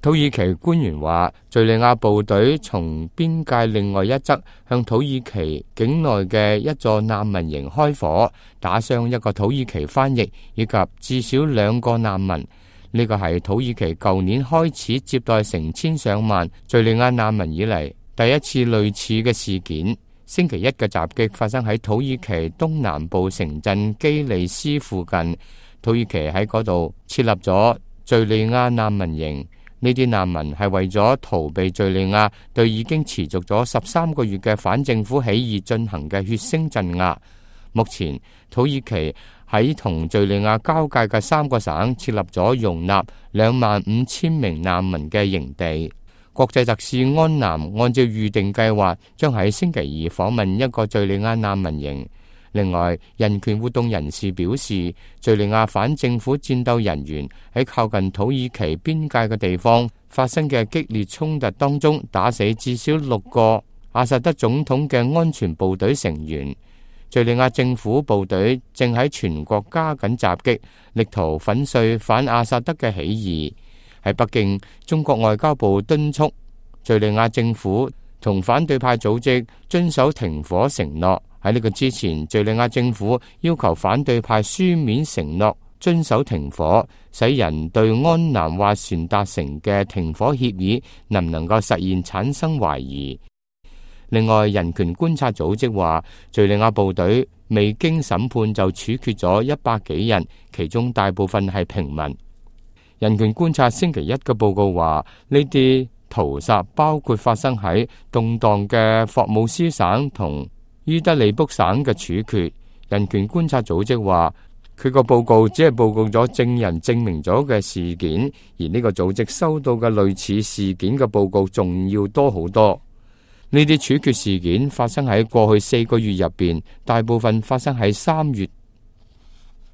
土耳其官員話，敘利亞部隊從邊界另外一側向土耳其境內嘅一座難民營開火，打傷一個土耳其翻譯以及至少2個難民。呢個係土耳其舊年開始接待成千上萬敘利亞難民以嚟第一次類似嘅事件。星期一嘅襲擊發生喺土耳其東南部城鎮基利斯附近，土耳其喺嗰度設立咗敘利亞難民營。呢啲難民係為咗逃避敘利亞對已經持續咗13個月嘅反政府起義進行嘅血腥鎮壓。目前土耳其喺同敘利亞交界嘅3個省設立咗容納25,000名難民嘅營地。國際特使安南按照預定計劃，將喺星期二訪問一個敘利亞難民營。另外，人權活動人士表示，敘利亞反政府戰鬥人員喺靠近土耳其邊界嘅地方發生嘅激烈衝突當中，打死至少6個阿薩德總統嘅安全部隊成員。敘利亞政府部隊正喺全國加緊襲擊，力圖粉碎反阿薩德嘅起義。喺北京，中國外交部敦促敘利亞政府同反對派組織遵守停火承諾。喺呢個之前，敘利亞政府要求反對派書面承諾遵守停火，使人對安南斡旋達成嘅停火協議能唔能夠實現產生懷疑。另外，人權觀察組織話，敘利亞部隊未經審判就處決咗100幾人，其中大部分係平民。人權觀察星期一嘅報告話，呢啲屠殺包括發生喺動盪嘅霍姆斯省同伊德利卜省嘅處決。人權觀察組織話，佢個報告只係報告咗證人證明咗嘅事件，而呢個組織收到嘅類似事件嘅報告仲要多好多。呢啲處決事件發生喺過去4個月入邊，大部分發生喺3月